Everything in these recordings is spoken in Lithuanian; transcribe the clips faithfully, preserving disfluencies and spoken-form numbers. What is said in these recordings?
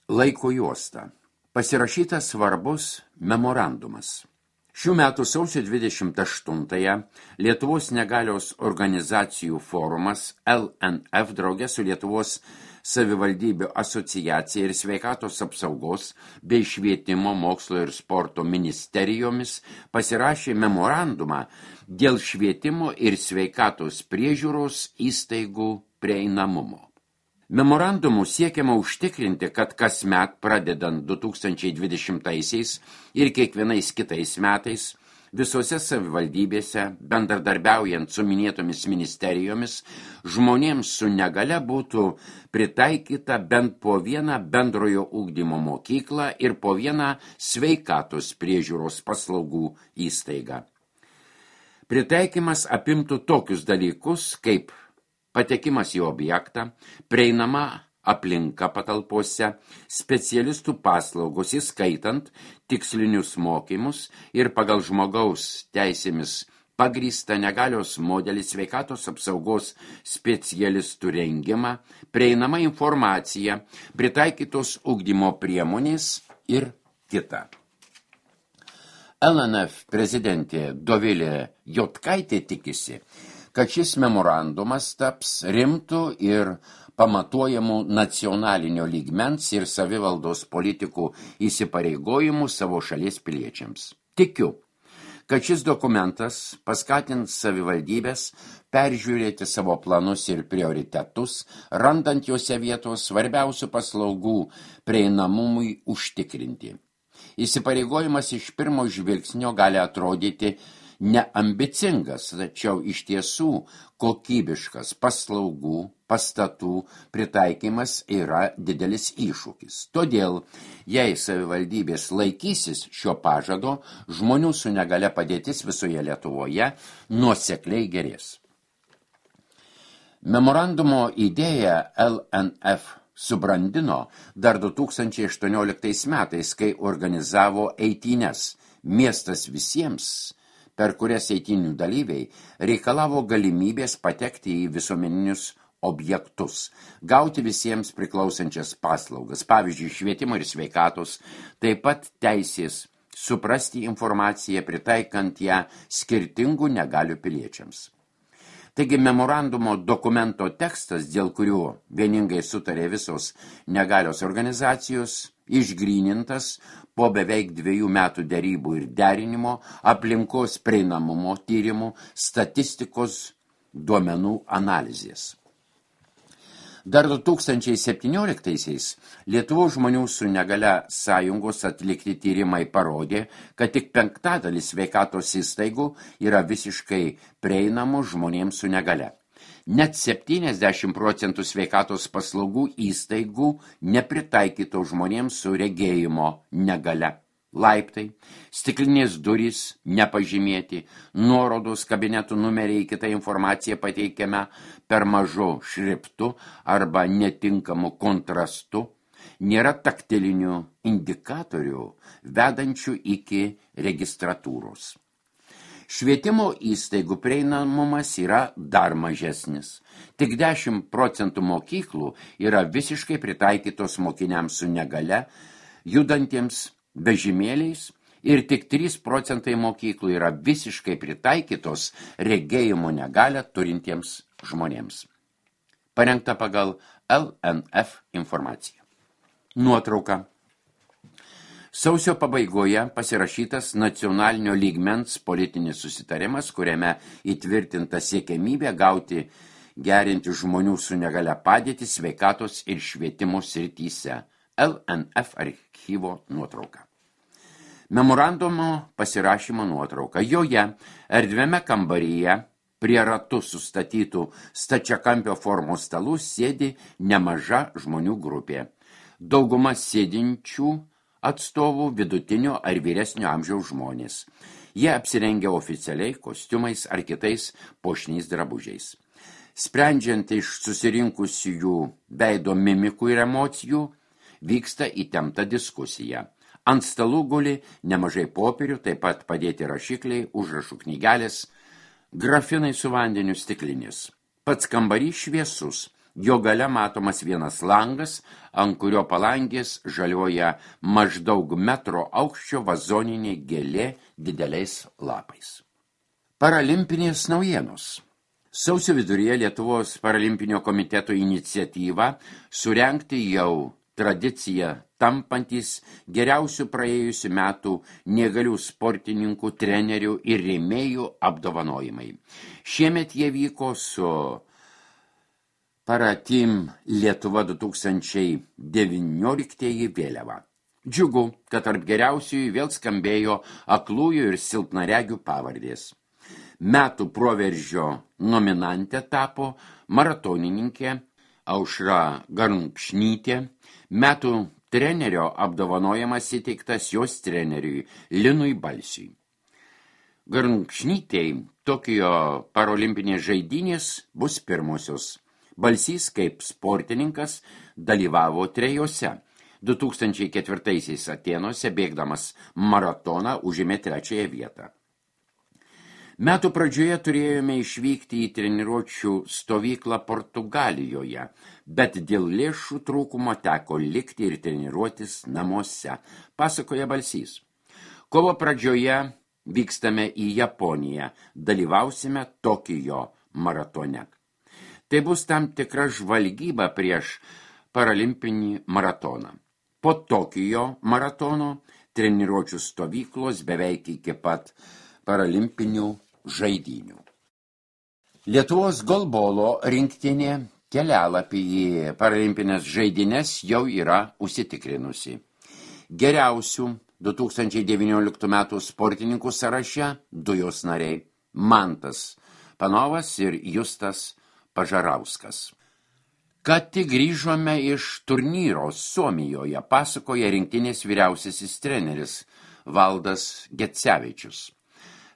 Laiko juosta. Pasirašytas svarbus memorandumas. Šių metų sausio dvidešimt aštuntąją Lietuvos negalios organizacijų forumas L N F drauge su Lietuvos savivaldybių asociacija ir sveikatos apsaugos bei švietimo, mokslo ir sporto ministerijomis pasirašė memorandumą dėl švietimo ir sveikatos priežiūros įstaigų prieinamumo. Memorandumu siekiama užtikrinti, kad kasmet pradedant du tūkstančiai dvidešimtaisiais ir kiekvienais kitais metais visose savivaldybėse, bendradarbiaujant su minėtomis ministerijomis, žmonėms su negale būtų pritaikyta bent po vieną bendrojo ugdymo mokyklą ir po vieną sveikatos priežiūros paslaugų įstaigą. Pritaikymas apimtų tokius dalykus kaip patekimas į objektą, prieinama aplinka patalpose, specialistų paslaugos, įskaitant tikslinius mokymus ir pagal žmogaus teisėmis pagrįstą negalios modelį sveikatos apsaugos specialistų rengimą, prieinama informacija, pritaikytos ugdymo priemonės ir kita. L N F prezidentė Dovilė Jotkaitė tikisi, kad šis memorandumas taps rimtų ir pamatuojamų nacionalinio lygmens ir savivaldos politikų įsipareigojimų savo šalies piliečiams. Tikiu, kad šis dokumentas paskatins savivaldybės peržiūrėti savo planus ir prioritetus, randant juose vietos svarbiausių paslaugų prieinamumui užtikrinti. Įsipareigojimas iš pirmo žvilgsnio gali atrodyti neambicingas, tačiau iš tiesų kokybiškas paslaugų, pastatų pritaikymas yra didelis iššūkis. Todėl, jei savivaldybės laikysis šio pažado, žmonių su negale padėtis visoje Lietuvoje nuosekliai gerės. Memorandumo idėją L N F subrandino dar du tūkstančiai aštuonioliktais metais, kai organizavo eitynes Miestas visiems, per kurias eitynių dalyviai reikalavo galimybės patekti į visuomeninius objektus, gauti visiems priklausančias paslaugas, pavyzdžiui, švietimo ir sveikatos, taip pat teisės suprasti informaciją, pritaikant ją skirtingų negalių piliečiams. Taigi memorandumo dokumento tekstas, dėl kurio vieningai sutarė visos negalios organizacijos, išgrynintas po beveik dviejų metų derybų ir derinimo, aplinkos prieinamumo tyrimų, statistikos duomenų analizės. Dar du tūkstančiai septynioliktaisiais Lietuvos žmonių su negale sąjungos atlikti tyrimai parodė, kad tik penktadalis sveikatos įstaigų yra visiškai prieinamų žmonėms su negale. Net septyniasdešimt procentų sveikatos paslaugų įstaigų nepritaikyto žmonėms su regėjimo negale. Laiptai, stiklinės durys nepažymėti, nuorodos kabinetų numeriai kitą informaciją pateikiame per mažu šriftu arba netinkamu kontrastu, nėra taktilinių indikatorių vedančių iki registratūros. Švietimo įstaigų prieinamumas yra dar mažesnis. Tik dešimt procentų mokyklų yra visiškai pritaikytos mokiniams su negale, judantiems vežimėliais, ir tik trys procentai mokyklų yra visiškai pritaikytos regėjimo negalią turintiems žmonėms. Parengta pagal L N F informaciją. Nuotrauka. Sausio pabaigoje pasirašytas nacionalinio lygmens politinis susitarimas, kuriame įtvirtinta siekiamybė gauti gerinti žmonių su negale padėtį sveikatos ir švietimo srityse. L N F archyvo nuotrauka. Memorandumo pasirašymo nuotrauka. Joje erdviame kambaryje prie ratų sustatytų stačiakampio formos stalų sėdi nemaža žmonių grupė. Dauguma sėdinčių atstovų vidutinio ar vyresnio amžiaus žmonės. Jie apsirengia oficialiai kostiumais ar kitais puošniais drabužiais. Sprendžiant iš susirinkusiųjų veido mimikų ir emocijų, vyksta įtempta diskusija. Ant stalų guli nemažai popierių, taip pat padėti rašikliai, užrašų knygelės, grafinai su vandeniu stiklinės. Pats kambarys šviesus, Jo gale matomas vienas langas, ant kurio palangės žaliuoja maždaug metro aukščio vazoninė gėlė dideliais lapais. Paralimpinės naujienos. Sausio viduryje Lietuvos paralimpinio komiteto iniciatyva surengti jau tradicija tampantis geriausių praėjusių metų neįgalių sportininkų, trenerių ir rėmėjų apdovanojimai. Šiemet jie vyko su Paratim Lietuva du tūkstančiai devynioliktieji vėliava. Džiugu, kad tarp geriausiųjų vėl skambėjo aklųjų ir silpnaregių pavardės. Metų proveržio nominantė tapo maratonininkė Aušra Garnkšnytė, metų trenerio apdovanojimas įteiktas jos treneriui Linui Balsiui. Garnkšnytei Tokijo parolimpinės žaidynės bus pirmosios. Balsys kaip sportininkas dalyvavo trejose. du tūkstančiai ketvirtaisiais Atėnuose bėgdamas maratoną užėmė trečiąją vietą. Metų pradžioje turėjome išvykti į treniruočių stovyklą Portugalijoje, bet dėl lėšų trūkumo teko likti ir treniruotis namuose, pasakoja Balsys. Kovo pradžioje vykstame į Japoniją, dalyvausime Tokijo maratone. Tai bus tam tikra žvalgyba prieš paralimpinį maratoną. Po Tokijo maratono treniruočių stovyklos beveik iki pat paralimpinių žaidynių. Lietuvos golbolo rinktinė kelialapį į paralimpinės žaidynės jau yra užsitikrinusi. Geriausių du tūkstančiai devynioliktų metų sportininkų sąraše du jos nariai – Mantas Panovas ir Justas Pažarauskas. Kad tik grįžome iš turnyro Suomijoje, pasakoja rinktinės vyriausiasis treneris Valdas Gecevičius.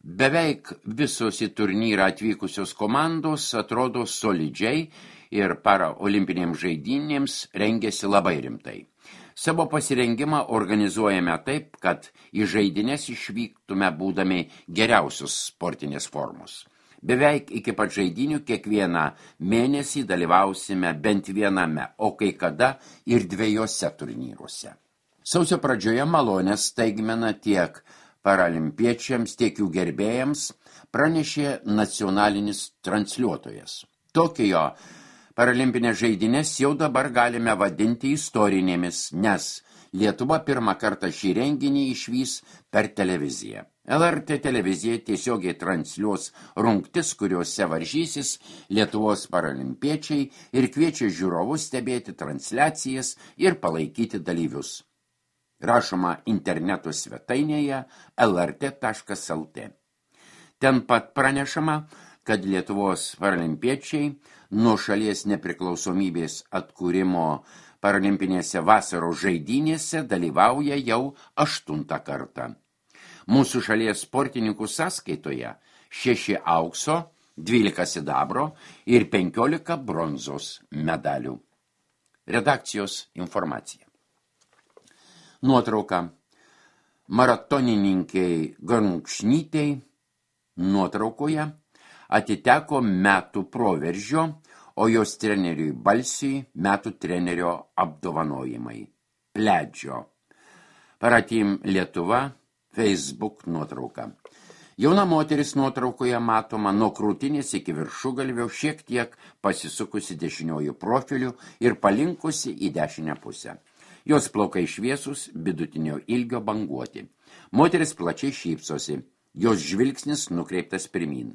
Beveik visos į turnyrą atvykusios komandos atrodo solidžiai ir paraolimpinėms žaidynėms rengiasi labai rimtai. Savo pasirengimą organizuojame taip, kad į žaidynės išvyktume būdami geriausios sportinės formos. Beveik iki pat žaidynių kiekvieną mėnesį dalyvausime bent viename, o kai kada ir dviejose turnyruose. Sausio pradžioje malonės staigmena tiek paralimpiečiams, tiek jų gerbėjams pranešė nacionalinis transliuotojas. Tokijo paralimpinės žaidynės jau dabar galime vadinti istorinėmis, nes Lietuva pirmą kartą šį renginį išvys per televiziją. L R T televizija tiesiogiai transliuos rungtis, kuriuose varžysis Lietuvos paralimpiečiai ir kviečia žiūrovus stebėti transliacijas ir palaikyti dalyvius. Rašoma interneto svetainėje L R T taškas L T. Ten pat pranešama, kad Lietuvos paralimpiečiai nuo šalies nepriklausomybės atkūrimo paralimpinėse vasaros žaidynėse dalyvauja jau aštuntą kartą. Mūsų šalies sportininkų sąskaitoje šeši aukso, dvylika sidabro ir penkiolika bronzos medalių. Redakcijos informacija. Nuotrauka. Maratonininkiai Garnkšnytei nuotraukoje atiteko metų proveržio, o jos treneriui Balsiui metų trenerio apdovanojimai. Pledžio. Paratim Lietuva, Facebook nuotrauka. Jauna moteris nuotraukoje matoma nuo krūtinės iki viršugalvio, šiek tiek pasisukusi dešiniojų profilių ir palinkusi į dešinę pusę. Jos plaukai šviesus, vidutinio ilgio banguoti. Moteris plačiai šypsosi, jos žvilgsnis nukreiptas pirmin.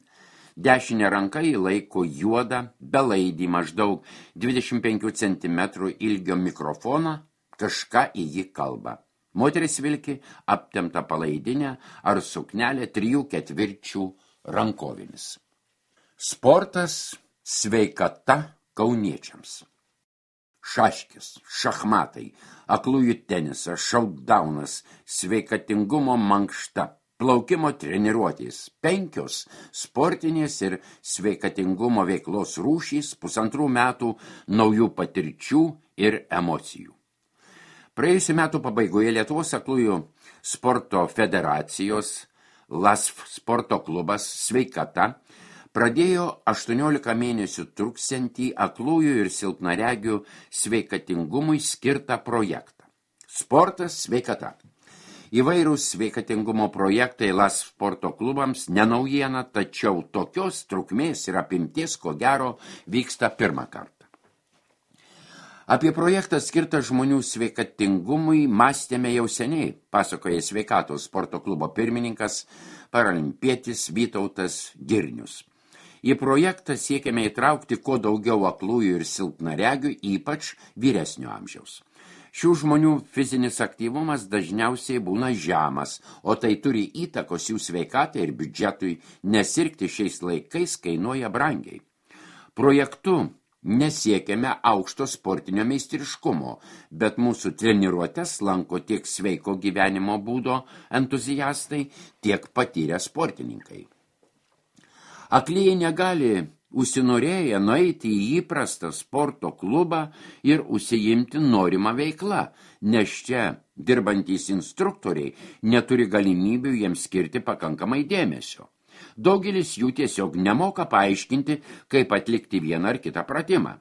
Dešinė ranka įlaiko juodą, belaidį maždaug dvidešimt penkių centimetrų ilgio mikrofoną, kažką į jį kalba. Moteris vilki aptemptą palaidinę ar suknelę trijų ketvirčių rankovėmis. Sportas, sveikata kauniečiams. Šaškis, šachmatai, aklųjų tenisas, šautdaunas, sveikatingumo mankšta, plaukimo treniruotės, penkios sportinės ir sveikatingumo veiklos rūšys, pusantrų metų naujų patirčių ir emocijų. Praėjusių metų pabaigoje Lietuvos aklųjų sporto federacijos L A S F sporto klubas Sveikata pradėjo aštuoniolika mėnesių truksiantį aklųjų ir silpnaregių sveikatingumui skirtą projektą. Sportas sveikata. Įvairūs sveikatingumo projektai LAS sporto klubams nenaujiena, tačiau tokios trukmės ir apimties, ko gero, vyksta pirmą kartą. Apie projektą skirtą žmonių sveikatingumui mąstėme jau seniai, pasakoja sveikatos sporto klubo pirmininkas, paralimpietis Vytautas Girnius. Į projektą siekiame įtraukti kuo daugiau aklųjų ir silpnaregių, ypač vyresnio amžiaus. Šių žmonių fizinis aktyvumas dažniausiai būna žemas, o tai turi įtakos jų sveikatai ir biudžetui, nes sirgti šiais laikais kainuoja brangiai. Projektu nesiekiame aukšto sportinio meistriškumo, bet mūsų treniruotes lanko tiek sveiko gyvenimo būdo entuziastai, tiek patyrę sportininkai. Aklieji negali užsinorėję nueiti į įprastą sporto klubą ir užsiimti norimą veiklą, nes čia dirbantys instruktoriai neturi galimybių jiems skirti pakankamai dėmesio. Daugelis jų tiesiog nemoka paaiškinti, kaip atlikti vieną ar kitą pratimą.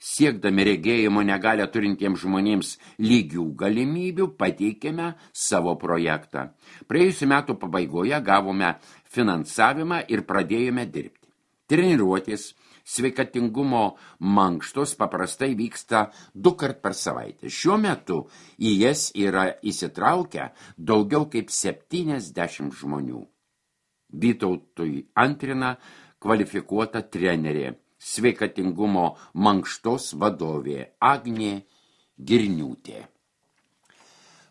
Siekdami regėjimo negalią turintiems žmonėms lygių galimybių, pateikėme savo projektą. Praėjusių metų pabaigoje gavome finansavimą ir pradėjome dirbti. Treniruotės, sveikatingumo mankštos paprastai vyksta du kart per savaitę. Šiuo metu į jas yra įsitraukę daugiau kaip septyniasdešimt žmonių. Vytautui antrina kvalifikuota trenerė, sveikatingumo mankštos vadovė Agnė Girniūtė.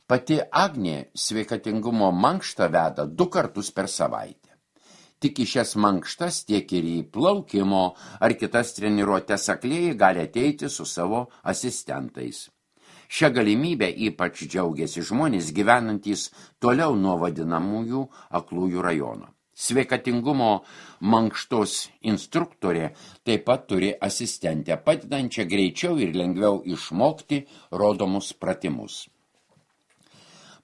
Pati Agnė sveikatingumo mankštą veda du kartus per savaitę. Tik į šias mankštas, tiek ir į plaukimo ar kitas treniruotes aklieji gali ateiti su savo asistentais. Šią galimybę ypač džiaugiasi žmonės gyvenantys toliau nuo vadinamųjų aklųjų rajono. Sveikatingumo mankštos instruktorė taip pat turi asistentę, padedančią greičiau ir lengviau išmokti rodomus pratimus.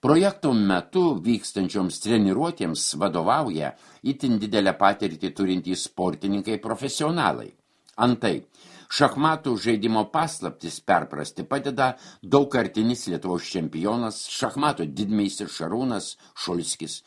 Projekto metu vykstančioms treniruotėms vadovauja itin didelę patirtį turintys sportininkai profesionalai. Antai, šachmatų žaidimo paslaptis perprasti padeda daugkartinis Lietuvos čempionas, šachmatų didmeistris Šarūnas Šulskis,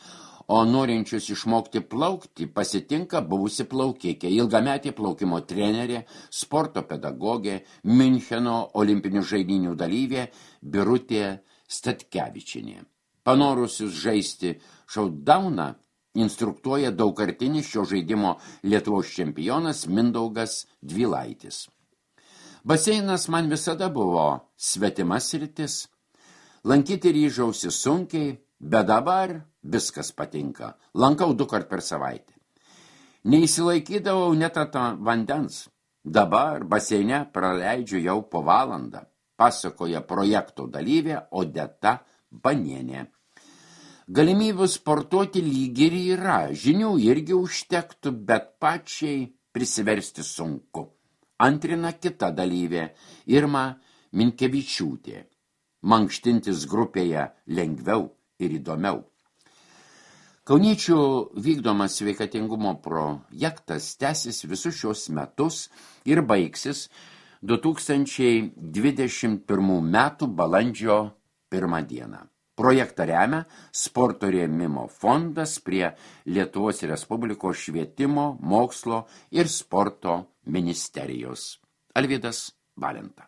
o norinčius išmokti plaukti pasitinka buvusi plaukikė, ilgametė plaukimo trenerė, sporto pedagogė, Miuncheno olimpinių žaidynių dalyvė Birutė Statkevičienė. Panorusius žaisti šautdauną instruktuoja daugkartinis šio žaidimo Lietuvos čempionas Mindaugas Dvilaitis. Baseinas man visada buvo svetimas sritis. Lankyti ryžausi sunkiai, bet dabar viskas patinka. Lankau du kart per savaitę. Neįsilaikydavau net ant vandens. Dabar baseine praleidžiu jau po valandą, pasakoja projekto dalyvė Odeta Banienė. Galimybių sportuoti lyg ir yra, žinių irgi užtektų, bet pačiai prisiversti sunku. Antrina kita dalyvė Irma Minkevičiūtė. Mankštintis grupėje lengviau ir įdomiau. Kauniečių vykdomas sveikatingumo projektas tęsis visus šios metus ir baigsis du tūkstančiai dvidešimt pirmų metų balandžio pirmą dieną. Projektą remia sporto rėmimo fondas prie Lietuvos Respublikos švietimo, mokslo ir sporto ministerijos. Alvydas Valenta.